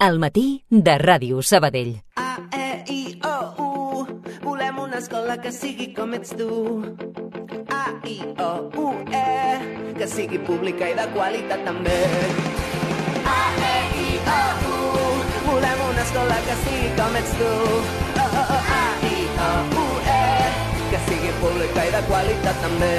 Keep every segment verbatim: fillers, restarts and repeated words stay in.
Al matí de Ràdio Sabadell. A, E, I, O, U. Volem una escola que sigui com ets tu. A, I, O, U, E. Que sigui pública i de qualitat també. A, E, I, O, U. Volem una escola que sigui com ets tu. O, O, O, A, I, O, U, E. Que sigui pública i de qualitat també.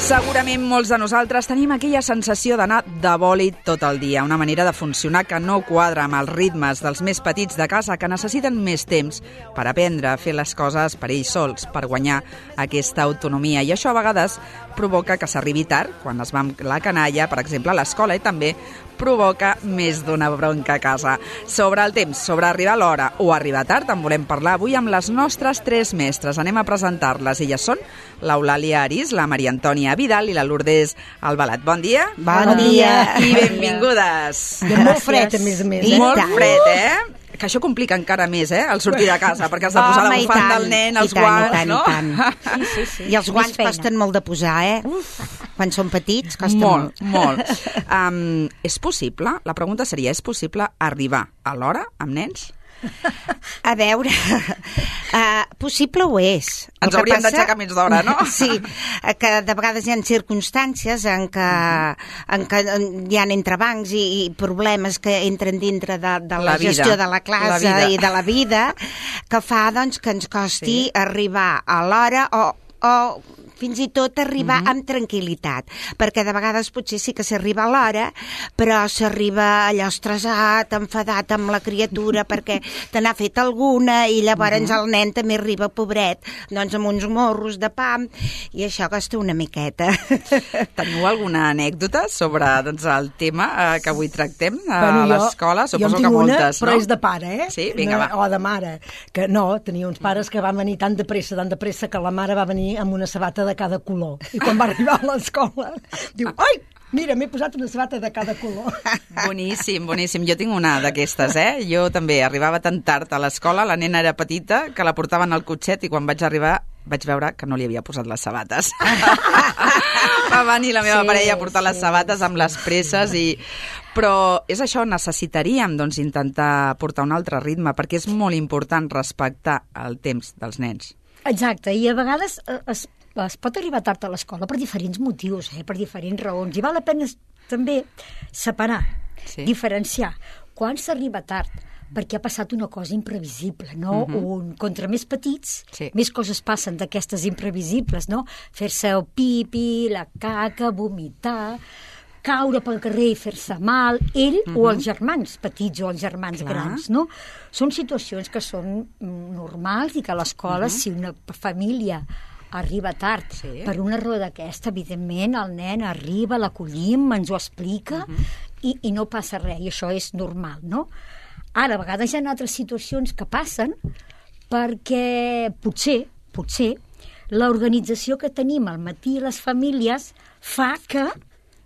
Segurament molts de nosaltres tenim aquella sensació d'anar de bòlit tot el dia, una manera de funcionar que no quadra amb els ritmes dels més petits de casa que necessiten més temps per aprendre a fer les coses per ells sols, per guanyar aquesta autonomia. I això a vegades provoca que s'arribi tard, quan es va amb la canalla, per exemple, a l'escola, i també provoca més d'una bronca a casa. Sobre el temps, sobre arribar a l'hora o arribar tard, en volem parlar avui amb les nostres tres mestres. Anem a presentar-les. Elles són l'Eulàlia Arís, la Maria Antònia Vidal i la Lourdes Albalat. Bon dia. Bon dia. I benvingudes. I molt fred, a més a més. I molt fred, eh? Que això complica encara més, eh?, el sortir de casa, perquè has de posar la bufanda del nen, els guants, no? I tant, i tant. Sí, sí, sí. I els guants costen molt de posar, eh? Uf. Quan són petits, costa molt. Molt, molt. Um, és possible, la pregunta seria, és possible arribar a l'hora amb nens? A veure, uh, possible ho és. Ens hauríem d'aixecar més d'hora, no? Sí, que de vegades hi ha circumstàncies en què, en què hi ha entrebancs i, i problemes que entren dintre de, de la, la gestió de la classe la i de la vida, que fa doncs, que ens costi sí. arribar a l'hora o, o fins i tot arribar uh-huh. amb tranquil·litat, perquè de vegades potser sí que s'arriba a l'hora, però s'arriba allò estressat, enfadat amb la criatura perquè te n'ha fet alguna i llavors uh-huh. el nen també arriba, pobret, doncs amb uns morros de pa, i això costa una miqueta. Teniu alguna anècdota sobre doncs, el tema eh, que avui tractem a bueno, l'escola? Suposo que moltes, una, però és de pare, eh? Sí, vinga, va. O de mare, que no, tenia uns pares que van venir tan de pressa, tan de pressa, que la mare va venir amb una sabata de cada color. I quan va arribar a l'escola, diu, ai, mira, m'he posat una sabata de cada color. Boníssim, boníssim. Jo tinc una d'aquestes, eh? Jo també arribava tan tard a l'escola, la nena era petita, que la portaven al cotxet i quan vaig arribar vaig veure que no li havia posat les sabates. Va venir la meva sí, parella a portar sí, les sabates amb les presses i... Però és això, necessitaríem doncs, intentar portar un altre ritme perquè és molt important respectar el temps dels nens. Exacte, i a vegades es, es pot arribar tard a l'escola per diferents motius, eh? Per diferents raons, i val la pena també separar, sí. diferenciar. Quan s'arriba tard, perquè ha passat una cosa imprevisible, no? Uh-huh. Un, contra més petits, sí. més coses passen d'aquestes imprevisibles, no? Fer-se el pipi, la caca, vomitar, caure pel carrer i fer-se mal, ell uh-huh. o els germans petits o els germans Clar. grans, no? Són situacions que són normals i que a l'escola, uh-huh. si una família arriba tard sí. per una raó d'aquesta, evidentment el nen arriba, l'acollim, ens ho explica uh-huh. i, i no passa res, i això és normal, no? Ara, a vegades hi ha altres situacions que passen perquè potser, potser, l'organització que tenim al matí a les famílies fa que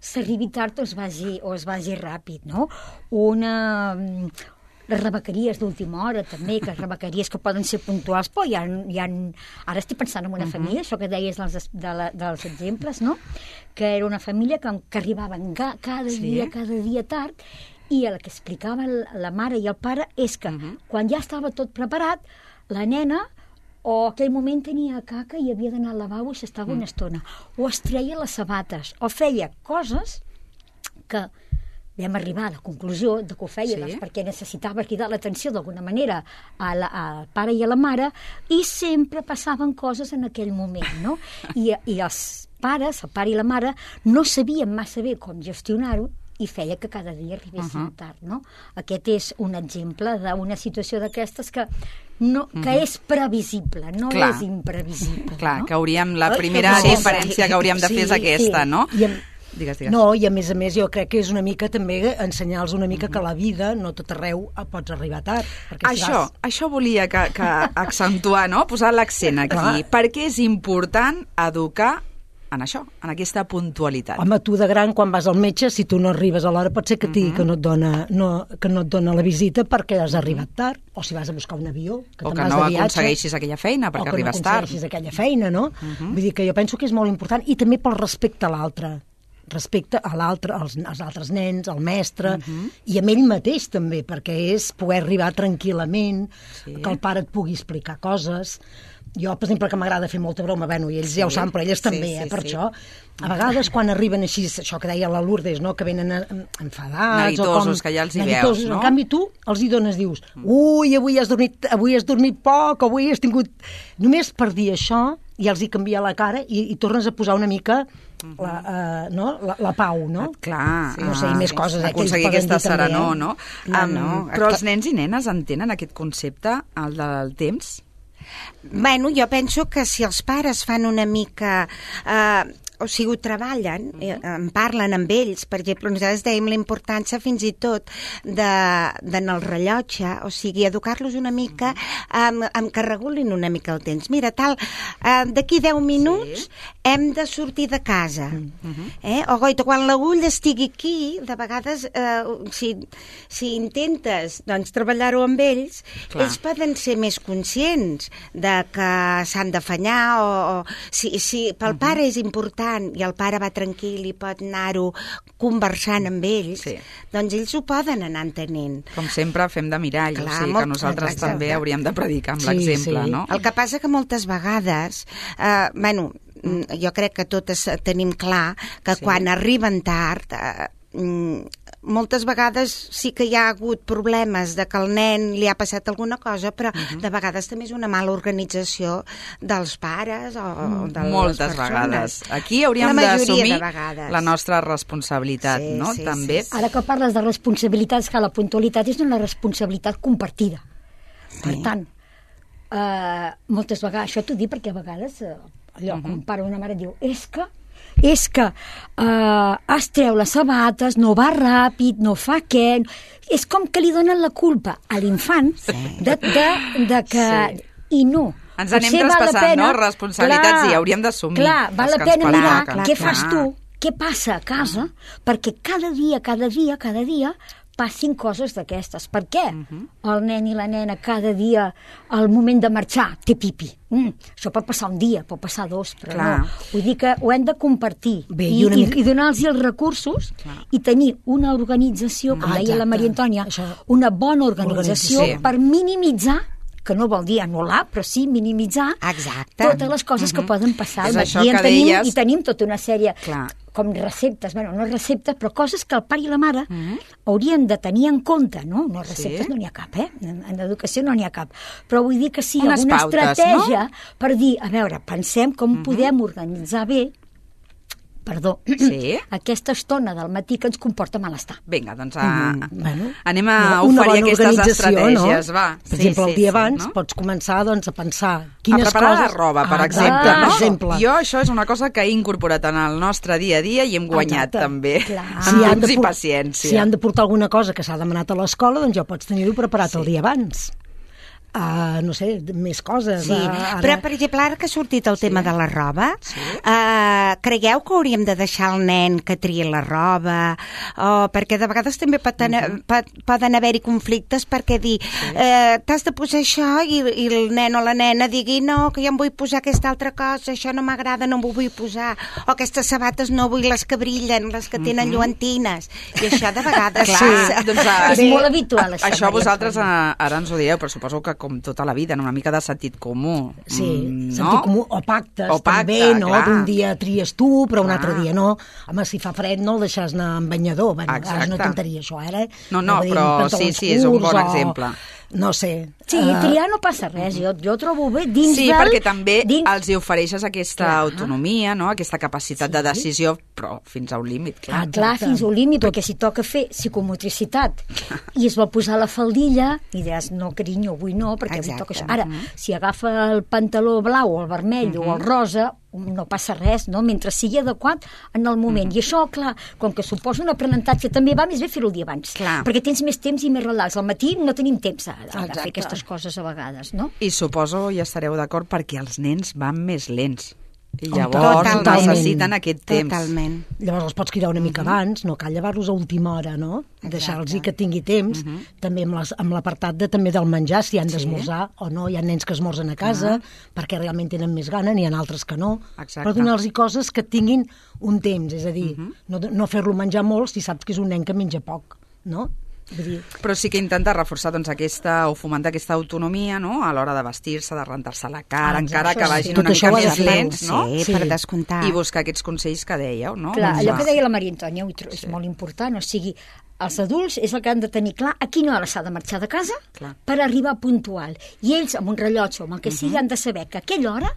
s'arribi tard o es vagi, o es vagi ràpid, no? Una... Les rebequeries d'última hora, també, que rebequeries que poden ser puntuals, però hi ha, hi ha... Ara estic pensant en una uh-huh. família, això que deies dels, de la, dels exemples, no? Que era una família que, que arribaven ga, cada sí. dia, cada dia tard, i el que explicava la mare i el pare és que uh-huh. quan ja estava tot preparat, la nena o aquell moment tenia caca i havia d'anar al lavabo i s'estava mm. una estona, o es treia les sabates, o feia coses que vam arribar a la conclusió de que ho feia sí. doncs, perquè necessitava cridar l'atenció d'alguna manera a la, al pare i a la mare, i sempre passaven coses en aquell moment, no? I, i els pares, el pare i la mare, no sabien massa bé com gestionar-ho, i feia que cada dia arribessin uh-huh. tard, no? Aquest és un exemple d'una situació d'aquestes que no, que uh-huh. és previsible, no Clar. és imprevisible. Clar, no? que hauríem, la primera no, diferència que hauríem de fer sí, és aquesta, sí. no? I amb... Digues, digues. No, i a més a més jo crec que és una mica també ensenyar-los una mica mm-hmm. que la vida no tot arreu pots arribar tard. Això, si vas... això volia que, que accentuar, no? Posar l'accent aquí, Clar. perquè és important educar en això, en aquesta puntualitat. Home, tu de gran, quan vas al metge, si tu no arribes a l'hora, pot ser que et digui mm-hmm. que, no et dona, no, que no et dona la visita perquè has arribat tard, o si vas a buscar un avió, que o te'n que vas no de viatge, aconsegueixis aquella feina perquè arribes tard. O que no aconsegueixis aquella feina, no? Mm-hmm. Vull dir que jo penso que és molt important, i també pel respecte a l'altre. respecte a l'altre, als, als altres nens, al mestre, uh-huh. i amb ell mateix també, perquè és poder arribar tranquil·lament, sí. que el pare et pugui explicar coses. Jo, per exemple, que m'agrada fer molta broma, bueno, i ells sí. ja ho saben, però elles també, sí, sí, eh, per sí. això. A vegades, quan arriben així, això que deia la Lourdes, no?, que venen enfadats... Neguitosos, o com, que ja els hi veus, no? En canvi, tu els hi dones, dius, ui, avui has dormit, avui has dormit poc, avui has tingut... Només per dir això, ja els hi canvia la cara i, i tornes a posar una mica la, uh, no? la, la pau, no? Clar. Sí, no sé, i més coses. Eh, aconseguir aquesta serenor, també, eh? no? No, um, no. Però els nens i nenes entenen aquest concepte, el del temps? Bueno, jo penso que si els pares fan una mica... Eh, o sigui, ho treballen, eh, en parlen amb ells. Per exemple, nosaltres dèiem la importància fins i tot de, de en el rellotge, o sigui, educar-los una mica amb, amb que regulin una mica el temps. Mira, tal, eh, d'aquí deu minuts sí. hem de sortir de casa. Uh-huh. eh? O goita, quan l'agulla estigui aquí, de vegades, eh, si, si intentes doncs, treballar-ho amb ells, clar. Ells poden ser més conscients de que s'han d'afanyar, o, o si, si pel uh-huh. pare és important i el pare va tranquil i pot anar-ho conversant amb ells, sí. doncs ells ho poden anar entenent. Com sempre fem de mirall, clar, o sigui molt, que nosaltres exacte. També hauríem de predicar amb sí, l'exemple, sí. no? El que passa que moltes vegades, eh, bueno, jo crec que totes tenim clar que sí. quan arriben tard... Eh, moltes vegades sí que hi ha hagut problemes de que el nen li ha passat alguna cosa, però uh-huh. de vegades també és una mala organització dels pares o de moltes les persones. Vegades. Aquí hauríem d'assumir la nostra responsabilitat, sí, no? Sí, també. Sí, sí. Ara que parles de responsabilitats, que la puntualitat és una responsabilitat compartida. Per sí. tant, eh, moltes vegades, això t'ho dic perquè a vegades eh, allò, uh-huh. un pare o una mare diu, és que és que eh, es treu les sabates, no va ràpid, no fa què... És com que li donen la culpa a l'infant sí. de, de, de que... Sí. I no. Ens anem traspassant, pena, no?, responsabilitats, clar, i hauríem d'assumir. Clar, val la pena mirar clar, què clar. fas tu, què passa a casa, uh-huh. perquè cada dia, cada dia, cada dia passin coses d'aquestes. Per què? Uh-huh. El nen i la nena cada dia, al moment de marxar, té pipi. Mm, això pot passar un dia, pot passar dos, però clar. No. Vull dir que ho hem de compartir. Bé, i, una... i, i donar-los els recursos clar. I tenir una organització, com ah, deia la Maria Antònia, això... una bona organització sí. per minimitzar, que no vol dir anul·lar, però sí minimitzar exacte. Totes les coses uh-huh. que poden passar. És això I, que tenim, deies... I tenim tota una sèrie... Clar. Com receptes, bueno, no receptes, però coses que el pare i la mare uh-huh. haurien de tenir en compte, no? No receptes sí. no n'hi ha cap, eh? En, en educació no n'hi ha cap. Però vull dir que sí, unes alguna pautes, estratègia no? per dir, a veure, pensem com uh-huh. podem organitzar bé perdó, sí? aquesta estona del matí que ens comporta malestar. Vinga, doncs a, mm, bueno, anem a una, oferir una aquestes estratègies, no? va. Per sí, exemple, sí, el dia sí, abans no? pots començar doncs, a pensar quines a preparar coses... la roba, per ah, exemple. Ah, no? per exemple. Jo això és una cosa que he incorporat en el nostre dia a dia i hem guanyat exacte. També. Clar. Si amb han temps de, i paciència. Si han de portar alguna cosa que s'ha demanat a l'escola, doncs ja pots tenir-ho preparat sí. el dia abans. Uh, no sé, més coses. Sí, uh, ara... però per exemple, ara que ha sortit el sí. tema de la roba, sí. uh, creieu que hauríem de deixar el nen que triï la roba? O, perquè de vegades també poden, uh-huh. pot, poden haver-hi conflictes perquè dir, sí. uh, t'has de posar això i, i el nen o la nena digui, no, que jo em vull posar aquesta altra cosa, això no m'agrada, no m'ho vull posar, o aquestes sabates no vull les que brillen, les que tenen uh-huh. lluentines, i això de vegades... Clar, sí. doncs, uh, és molt habitual. Això, això vosaltres uh, ara ens ho dieu, però suposo que com tota la vida, una mica de sentit comú. Sí, mm, no? sentit comú, o pactes, o pacte, també, no? Clar. D'un dia tries tu, però un clar. altre dia no. Home, si fa fred no el deixes anar amb banyador. Bueno, exacte. és una tonteria, això, ara. Eh? No, no, però sí, sí, és un bon exemple. No sé. Sí, uh... triar no passa res, jo, jo trobo bé dins sí, del... Sí, perquè també dins... els hi ofereixes aquesta clar. Autonomia, no? Aquesta capacitat sí. De decisió, però fins a un límit, clar. Ah, clar, fins a un límit, perquè si toca fer psicomotricitat i es vol posar la faldilla i deies, no, carinyo, avui no, perquè avui toca això. Ara, uh-huh. si agafa el pantaló blau o el vermell uh-huh. o el rosa, no passa res, no? Mentre sigui adequat en el moment. Uh-huh. I això, clar, com que suposa un aprenentatge, també va més bé fer-ho el dia abans. Clar. Perquè tens més temps i més relax. Al matí no tenim temps de, de fer aquestes coses a vegades, no? I suposo, ja estareu d'acord, perquè els nens van més lents. I llavors Totalment. necessiten aquest temps. Totalment. Llavors els pots cridar una mica abans, no cal llevar-los a última hora, no? Deixar-los que tingui temps, també amb les- amb l'apartat de, també del menjar, si han d'esmorzar o no. Hi ha nens que esmorzen a casa perquè realment tenen més gana, n'hi ha altres que no. Exacte. Però donar-los coses que tinguin un temps, és a dir, no, no fer-lo menjar molt si saps que és un nen que menja poc, no? Vull dir, Però sí que intenta reforçar doncs, aquesta, o fomentar aquesta autonomia, no?, a l'hora de vestir-se, de rentar-se la cara, Ah, encara això que sí. vagin Tot una això mica ho ha de més fer, lents, no? Sí, Sí. per descomptar. I buscar aquests consells que dèieu, no? Clar, Doncs, allò que ah, deia la Maria Antònia, ho tro- és molt important, o sigui, els adults és el que han de tenir clar a quina hora s'ha de marxar de casa Clar. per arribar puntual. I ells, amb un rellotge o amb el que sigui, han de saber que a aquella hora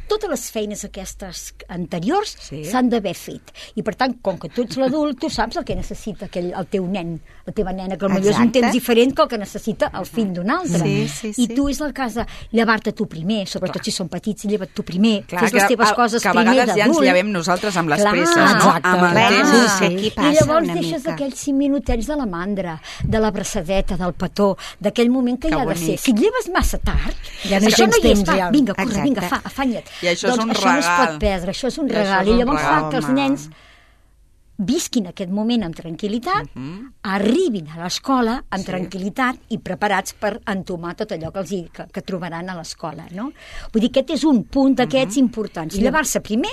totes les feines aquestes anteriors Sí. s'han d'haver fet. I per tant, com que tu ets l'adult, tu saps el que necessita aquell, el teu nen, la teva nena, que potser és un Exacte. temps diferent que el que necessita el fill d'un altre. Sí, sí, I sí. tu és el cas de llevar-te tu primer, sobretot si són petits, lleva't tu primer, Clar, fes les que teves a- coses que a primer vegades ja ens d'adult. llevem nosaltres amb les Clar, presses, no? exacte. Amb el Clar, temps. sí, sí. Aquí passa I llavors una deixes mica. aquells cinc minutets de la mandra, de la braçadeta, del petó, d'aquell moment que, Que hi ha de bonic. ser. Si et lleves massa tard, Ja no això tens no hi és, temps, va, ja. vinga, corre, Exacte. vinga, fa, afanya't. I això és doncs un això no es regal. pot perdre, això és un I això regal. és I un llavors regal, fa que els home. nens visquin aquest moment amb tranquil·litat, arribin a l'escola amb tranquil·litat i preparats per entomar tot allò que, els hi, que, que trobaran a l'escola, no? Vull dir, aquest és un punt d'aquests importants. Llevar-se primer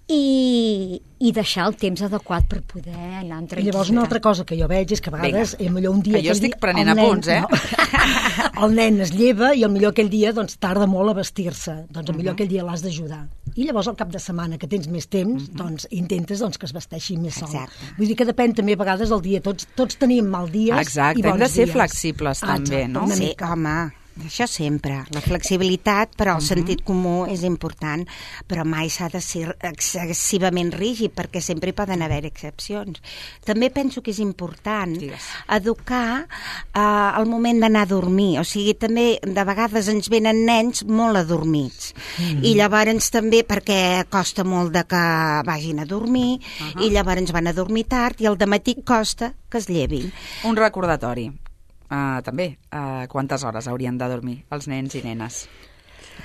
i, i deixar el temps adequat per poder anar amb I llavors una altra cosa que jo veig és que a vegades Vinga. eh, millor un dia... Que jo aquell estic dia, prenent el nen- apunts, eh? No, el nen es lleva i el millor aquell dia doncs, tarda molt a vestir-se. Doncs el millor aquell dia l'has d'ajudar. I llavors al cap de setmana que tens més temps, doncs intentes doncs, que es vesteixi més sol. Exacte. Vull dir que depèn també a vegades del dia. Tots, tots tenim mal dies Exacte, i hem bons de ser dies. flexibles també, Exacte, no? una Sí, mica. home, això sempre. La flexibilitat, però el sentit comú és important, però mai s'ha de ser excessivament rígid, perquè sempre hi poden haver excepcions. També penso que és important Digues. educar eh, el moment d'anar a dormir. O sigui, també de vegades ens venen nens molt adormits. Mm. I llavors també, perquè costa molt de que vagin a dormir, uh -huh. i llavors van a dormir tard, i al dematí costa que es llevin. Un recordatori. Uh, també, uh, quantes hores haurien de dormir els nens i nenes?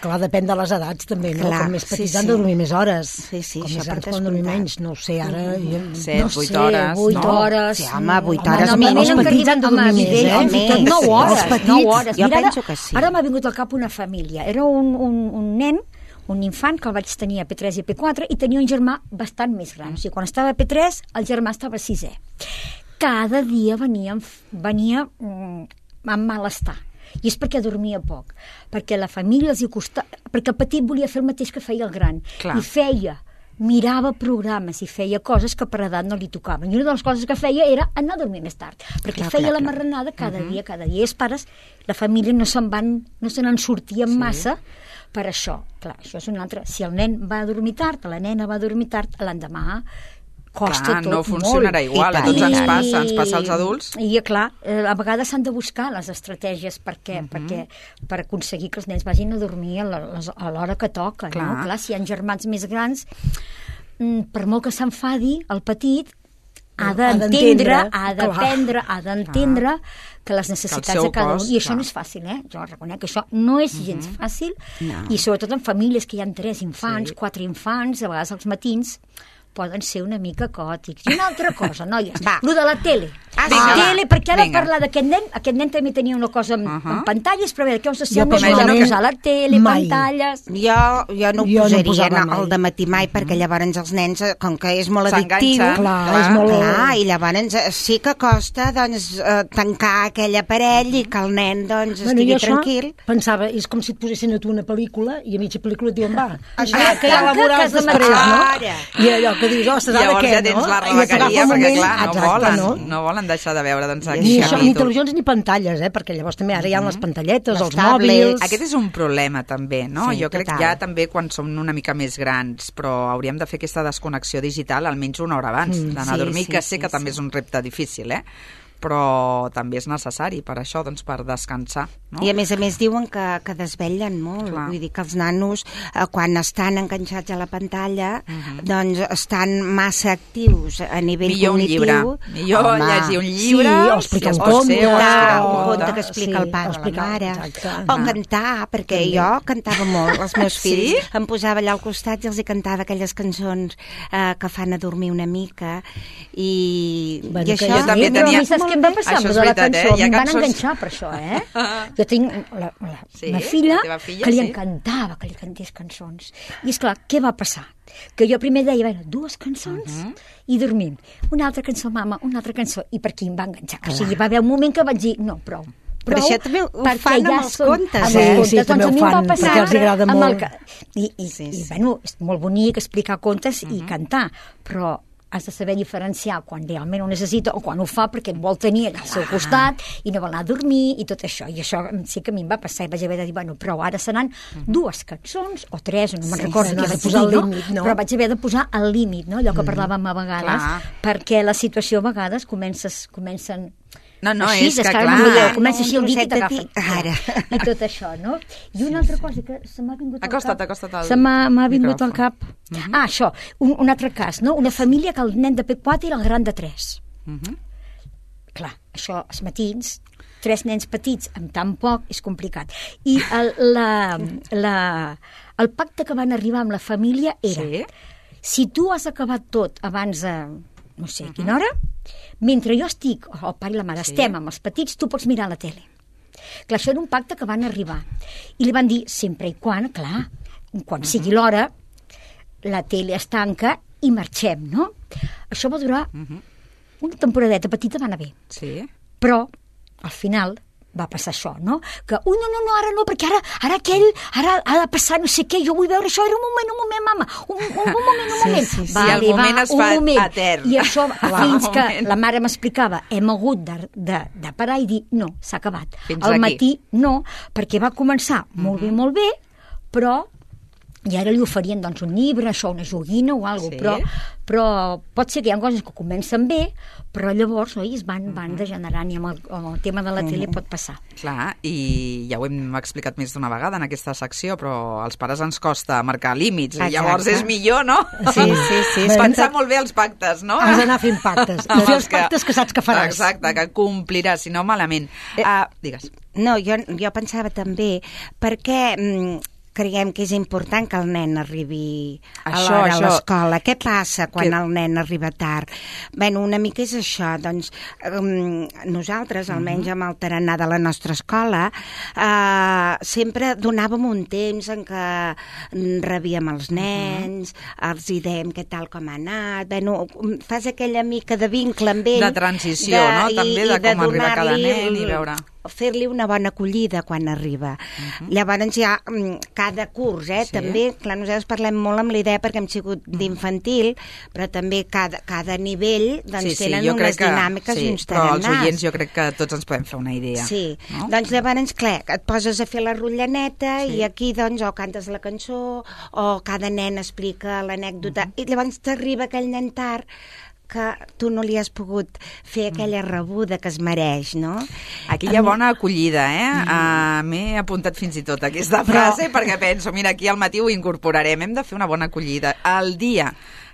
Clar, depèn de les edats també, no? Clar, Com més sí, petits sí. han de dormir més hores. Sí, sí, Com això més per grans poden dormir descomptat. menys, no ho sé, ara... Jo... Set, no vuit sé, hores, vuit no? hores. Sí, home, vuit Home, hores. normalment Els en petits arriben- han de dormir home, més, evident, eh? fins i tot Més. nou Sí, hores, els petits, nou hores. jo Mira, ara- penso que sí. Ara m'ha vingut al cap una família. Era un, un, un nen, un infant que el vaig tenir a P tres i a P quatre i tenia un germà bastant més gran. O sigui, quan estava a P tres, el germà estava a sisè. Cada dia venia, venia mm, amb malestar. I és perquè dormia poc, perquè la família els hi costava, perquè el petit volia fer el mateix que feia el gran. Clar. I feia, mirava programes i feia coses que per edat no li tocaven. I una de les coses que feia era anar a dormir més tard, perquè Clar, feia clar, la clar. marranada cada uh -huh. dia, cada dia. I els pares, la família no se'n van, no se n'en sortien sí. massa per això. Clar, això és un altre. Si el nen va a dormir tard, la nena va a dormir tard, l'endemà costa Clar, tot no funcionarà molt. igual, a I tots tant. ens passa, ens passa als adults. I, clar, eh, a vegades s'han de buscar les estratègies perquè, uh -huh. perquè, per aconseguir que els nens vagin a dormir a la- les- a l'hora que toca. Clar. No? Clar, si hi ha germans més grans, mm, per molt que s'enfadi, el petit ha Ha d'entendre, d'entendre, ha clar. d'aprendre, ha d'entendre que les necessitats seu de cada cos, un... I això clar. no és fàcil, eh? Jo reconec que això no és gens fàcil, No. i sobretot en famílies que hi ha tres infants, Sí. quatre infants, a vegades els matins poden ser una mica caòtics. I una altra cosa, noies, Va. lo de la tele. Ah, la vinga, tele, va. perquè ara Vinga. parlar d'aquest nen, aquest nen també tenia una cosa amb, Uh -huh. amb pantalles, però a veure, què us Jo sembla això de personalment posar la tele, mai. pantalles... Jo, jo no ho Jo no ho posaria posava no, mai. al dematí mai, perquè llavors els nens, eh, com que és molt S'enganxa. addictiu... Clar, és molt... Clar, i llavors eh, sí que costa doncs, eh, tancar aquell aparell i que el nen doncs, estigui jo això tranquil. pensava, és com si et posessin a tu una pel·lícula i a mitja pel·lícula et diuen, va, Exacte. que hi ha Tanca, que laborals has de després, no? marxar. I allò que dius, ostres, ara Llavors què, ja tens no? la I et agafa rebequeria, un perquè moment- clar, no Exacte, volen, no? no volen deixar de veure doncs, Ni aquest Ni, això, ni capítol. televisions ni pantalles, eh? Perquè llavors també ara hi ha les pantalletes, Les els tablets. mòbils... Aquest és un problema també, no? Sí, jo crec total. que ja també quan som una mica més grans, però hauríem de fer aquesta desconnexió digital almenys una hora abans Mm, d'anar sí, a dormir, sí, que sé sí, que també sí. és un repte difícil, eh? però també és necessari per això, doncs, per descansar. No? I a més a més diuen que, que desvetllen molt. Clar. Vull dir que els nanos, eh, quan estan enganxats a la pantalla, uh-huh. doncs estan massa actius a nivell millor cognitiu. Millor un llibre. Millor Home. llegir un llibre. Sí, o explicar un conte. O un o conte que explica sí, el pare o la mare. Exacte. O cantar, perquè també. Jo cantava molt. Els meus fills sí? em posava allà al costat i els hi cantava aquelles cançons eh, que fan adormir una mica. I, bueno, i això... Jo també tenia... Saps què em va passar? Això és de la veritat, cançó, eh? em van cançons... enganxar per això, eh? Jo tinc la, la, sí? una filla, filla que li sí? encantava que li cantés cançons. I, esclar, què va passar? Que jo primer deia, bueno, dues cançons uh -huh. i dormim. Una altra cançó, mama, una altra cançó. I per aquí em va enganxar. Clar. O sigui, va haver un moment que vaig dir, no, prou. Però això també ho fan amb els contes, eh? Sí, contes. sí, doncs també ho fan, passar, perquè els agrada molt. Que... I, i, sí, sí. sí. i, bueno, és molt bonic explicar contes uh -huh. i cantar, però has de saber diferenciar quan realment ho necessita o quan ho fa perquè et vol tenir al seu costat i no vol anar a dormir i tot això. I això sí que a mi em va passar i vaig haver de dir, bueno, però ara seran uh-huh. dues cançons o tres, no me'n sí, recordo sí, què vaig posar dir, el límit, no? Però vaig haver de posar el límit, no? Allò que parlàvem a vegades, clar. Perquè la situació a vegades comences, comencen No, no, així, és que clar, clar... comença així el dit i t'agafa. Ara. I tot això, no? I una altra cosa que se m'ha vingut al acosta't, cap... Acosta't, acosta't se m'ha vingut al cap... Uh -huh. Ah, això, un, un altre cas, no? Una família que el nen de P quatre era el gran de tres. Uh -huh. Clar, això, els matins, tres nens petits amb tan poc és complicat. I el, la, la, el pacte que van arribar amb la família era sí? si tu has acabat tot abans de no sé a quina hora, mentre jo estic, o el pare i la mare, sí. estem amb els petits, tu pots mirar la tele. Clar, això era un pacte que van arribar. I li van dir, sempre i quan, clar, quan uh -huh. sigui l'hora, la tele es tanca i marxem, no? Això va durar uh -huh. una temporadeta petita, va anar bé. Sí. Però, al final, va passar això, no? Que, ui, no, no, no, ara no, perquè ara, ara aquell, ara ha de passar no sé què, jo vull veure això, era un moment, un moment, mama, un, un, un moment, un sí, moment. Sí, sí, va sí, arribar el moment es un fa moment. etern. I això, fins que la mare m'explicava, hem hagut de, de, de parar i dir, no, s'ha acabat. Fins Al aquí. matí, no, perquè va començar molt uh -huh. bé, molt bé, però i ara li oferien doncs, un llibre, això, una joguina o alguna cosa, sí? però, però pot ser que hi ha coses que comencen bé, però llavors oi, es van, van degenerant i amb el, amb el tema de la tele pot passar. Clar, i ja ho hem explicat més d'una vegada en aquesta secció, però als pares ens costa marcar límits, i llavors és millor, no? Sí, sí, sí. És pensar molt bé els pactes, no? Has d'anar fent pactes, i fer els pactes que saps que faràs. Exacte, que compliràs, si no malament. Eh, uh, digues. No, jo, jo pensava també, perquè... Mm, creiem que és important que el nen arribi a l'hora a l'escola. Què passa quan que... el nen arriba tard? Bé, una mica és això. Doncs um, nosaltres, almenys amb el tarannà de la nostra escola, uh, sempre donàvem un temps en què rebíem els nens, uh-huh. els hi dèiem què tal com ha anat. Bé, no, fas aquella mica de vincle amb ell. De transició, de, no? També de, de com arriba cada nen i veure... fer-li una bona acollida quan arriba. Uh-huh. Llavors ja cada curs, eh, sí. també, clar, nosaltres parlem molt amb la idea perquè hem sigut d'infantil, però també cada, cada nivell doncs sí, sí, tenen unes que, dinàmiques sí, i uns tarannàs. Però els oients jo crec que tots ens podem fer una idea. Sí, no? doncs llavors, clar, et poses a fer la rotllaneta sí. i aquí doncs o cantes la cançó o cada nen explica l'anècdota uh-huh. i llavors t'arriba aquell nen tard que tu no li has pogut fer aquella rebuda que es mereix, no? Aquí hi ha bona acollida, eh? Mm. Uh, M'he apuntat fins i tot aquesta frase Però... perquè penso, mira, aquí al matí ho incorporarem. Hem de fer una bona acollida. El dia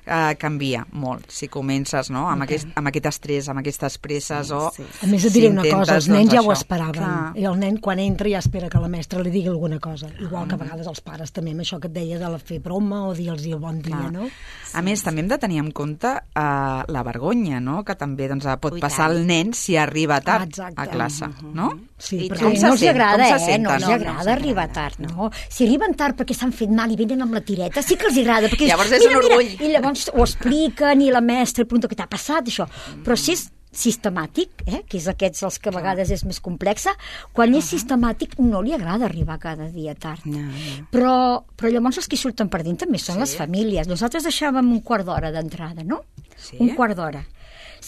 Uh, canvia molt si comences no? amb, okay. aquest, amb aquest estrès, amb aquestes presses sí, o... Sí. A més et diré si una cosa, els nens doncs, ja això. ho esperaven Clar. I el nen quan entra ja espera que la mestra li digui alguna cosa, igual que a vegades els pares també amb això que et deia de la fer broma o dir-los el bon dia, Clar. no? Sí, a més, sí. també hem de tenir en compte uh, la vergonya, no? Que també doncs, pot Ui, passar al nen si arriba tard ah, a classe, uh-huh. no? Sí, perquè no els agrada, eh? No els agrada arribar tard, no? Si arriben tard perquè s'han fet mal i venen amb la tireta, sí que els agrada, perquè llavors és un orgull. I llavors ho expliquen i la mestra pregunta què t'ha passat, això. Però si és sistemàtic, eh, que és aquests els que a vegades és més complexa, quan és sistemàtic no li agrada arribar cada dia tard. No, no. Però, però llavors els que surten perdent també són sí. les famílies. Nosaltres deixàvem un quart d'hora d'entrada, no? Sí. Un quart d'hora.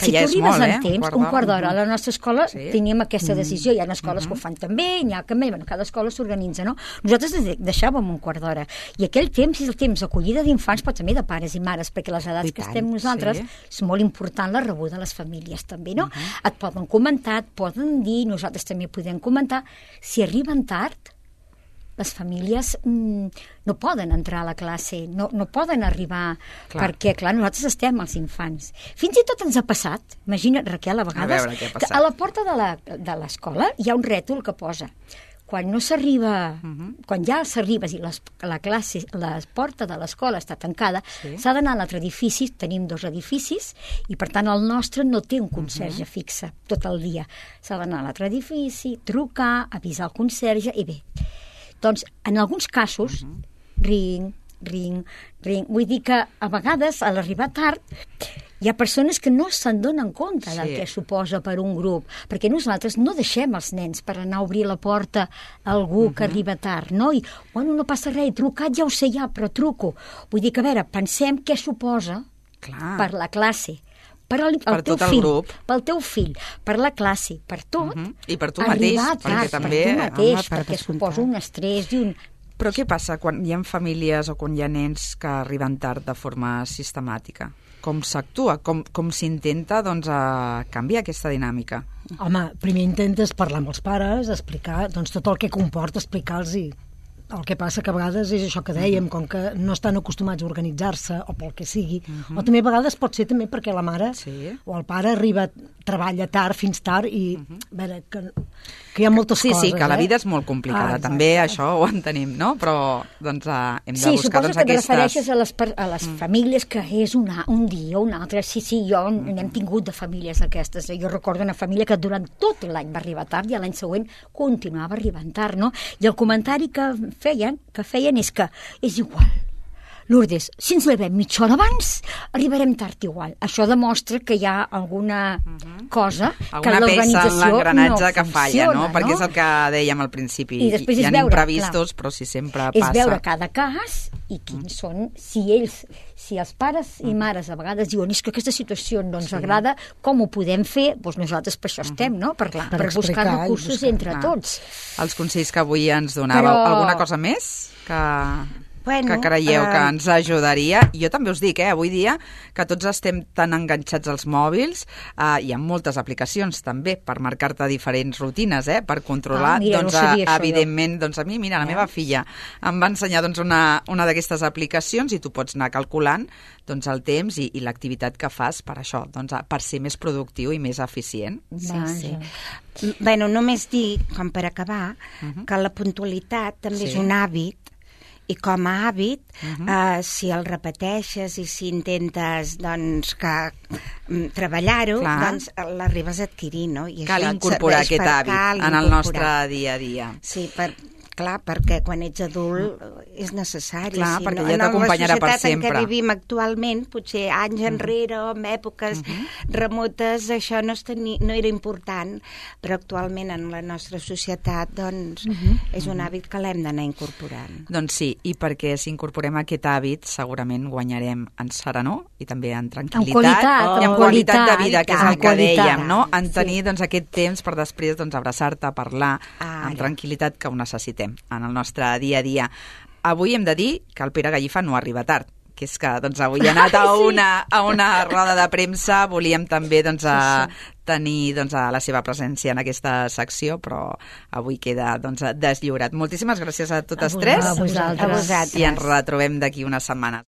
Que si ja tu és arribes molt, en eh? temps, un quart d'hora, a la nostra escola Sí. teníem aquesta decisió, hi ha escoles que ho fan també, hi ha que bueno, cada escola s'organitza, no? Nosaltres de- deixàvem un quart d'hora, i aquell temps és el temps d'acollida d'infants, però també de pares i mares, perquè les edats I que tant, estem nosaltres sí. és molt important la rebuda a les famílies també, no? Et poden comentar, et poden dir, nosaltres també podem comentar, si arriben tard, les famílies mm, no poden entrar a la classe, no, no poden arribar, Clar. perquè, clar, nosaltres estem els infants. Fins i tot ens ha passat, imagina't, Raquel, a vegades, veure què ha que passat. a la porta de la- de l'escola hi ha un rètol que posa quan no s'arriba, quan ja s'arribes i les, la classe, la porta de l'escola està tancada, Sí. s'ha d'anar a l'altre edifici, tenim dos edificis, i per tant el nostre no té un conserge fixe tot el dia. S'ha d'anar a l'altre edifici, trucar, avisar el conserge, i bé. Doncs, en alguns casos, ring, ring, ring, vull dir que a vegades, a l'arribar tard, hi ha persones que no se'n donen compte del Sí. que suposa per un grup, perquè nosaltres no deixem els nens per anar a obrir la porta a algú que arriba tard, no? I, bueno, no passa res, he trucat, ja ho sé ja, però truco. Vull dir que, a veure, pensem què suposa Clar. per la classe, per al, el Per teu tot el fill, grup. pel teu fill, per la classe, per tot, Mhm. I per tu arribar mateix, tard, perquè també- per tu mateix, home, per perquè descomptat. suposa un estrès i un... Però què passa quan hi ha famílies o quan hi ha nens que arriben tard de forma sistemàtica? Com s'actua? Com, com s'intenta doncs, a canviar aquesta dinàmica? Home, primer intentes parlar amb els pares, explicar doncs, tot el que comporta, explicar-los. El que passa que a vegades és això que dèiem, com que no estan acostumats a organitzar-se o pel que sigui, o també a vegades pot ser també perquè la mare Sí. o el pare arriba, treballa tard, fins tard, i a veure, que, que hi ha moltes Sí, coses. sí, que la eh? vida és molt complicada, Ah, exacte. també això ho entenem, no? Però doncs, eh, hem de Sí, buscar suposo doncs, que et aquestes... refereixes a les, per- a les mm. famílies que és una, un dia o un altre. Sí, sí, jo Mm-hmm. n'hem tingut de famílies aquestes. Jo recordo una família que durant tot l'any va arribar tard i l'any següent continuava arribant tard, no? I el comentari que feien, que feien és que és igual. Lourdes, si ens llevem mitja hora abans, arribarem tard igual. Això demostra que hi ha alguna cosa que Alguna peça en l'organització l'engranatge no que falla, no? funciona, Perquè és el que dèiem al principi. I després hi és ha veure, imprevistos, clar. però si sempre És passa... veure cada cas i quins són, si ells, si els pares i mares a vegades diuen és que aquesta situació no ens agrada, com ho podem fer? Doncs nosaltres per això estem, no? Per, Per per buscar explicar i recursos buscar. entre Clar. tots. Els consells que avui ens donàveu. Però- Alguna cosa més que... Bueno, que creieu que eh, ens ajudaria? Jo també us dic, eh, avui dia, que tots estem tan enganxats als mòbils, eh, hi ha moltes aplicacions també per marcar-te diferents rutines, eh, per controlar, Ah, mira, no doncs, sabia eh, això, evidentment, doncs a mi, mira, la meva filla em va ensenyar doncs, una, una d'aquestes aplicacions i tu pots anar calculant doncs, el temps i, i l'activitat que fas per això, doncs, eh, per ser més productiu i més eficient. Sí, Vaja. sí. Bueno, només dir, com per acabar, que la puntualitat també Sí. és un hàbit, i com a hàbit, eh, si el repeteixes i si intentes doncs, que mm, treballar-ho, Clar. doncs l'arribes a adquirir, no? I Cal això et incorporar serveix aquest per- hàbit cal en el incorporar. nostre dia a dia. Sí, per, clar, perquè quan ets adult és necessari. Clar, si perquè no, ja t'acompanyarà per En la societat en sempre. què vivim actualment, potser anys enrere o en èpoques remotes, això no, es teni, no era important, però actualment en la nostra societat doncs, és un hàbit que l'hem d'anar incorporant. Doncs sí, i perquè si incorporem aquest hàbit segurament guanyarem en serenor i també en tranquil·litat qualitat, i en en qualitat de qualitat, vida, que és en el que qualitat. dèiem, no? En tenir doncs, aquest temps per després doncs, abraçar-te, parlar Ara. amb tranquil·litat, que ho necessitem en el nostre dia a dia. Avui hem de dir que el Pere Gallifa no arriba tard, que és que doncs, avui ha anat a una, a una roda de premsa, volíem també doncs, a tenir doncs, a la seva presència en aquesta secció, però avui queda doncs, deslliurat. Moltíssimes gràcies a totes A tres vosaltres. A vosaltres. i ens retrobem d'aquí unes setmanes.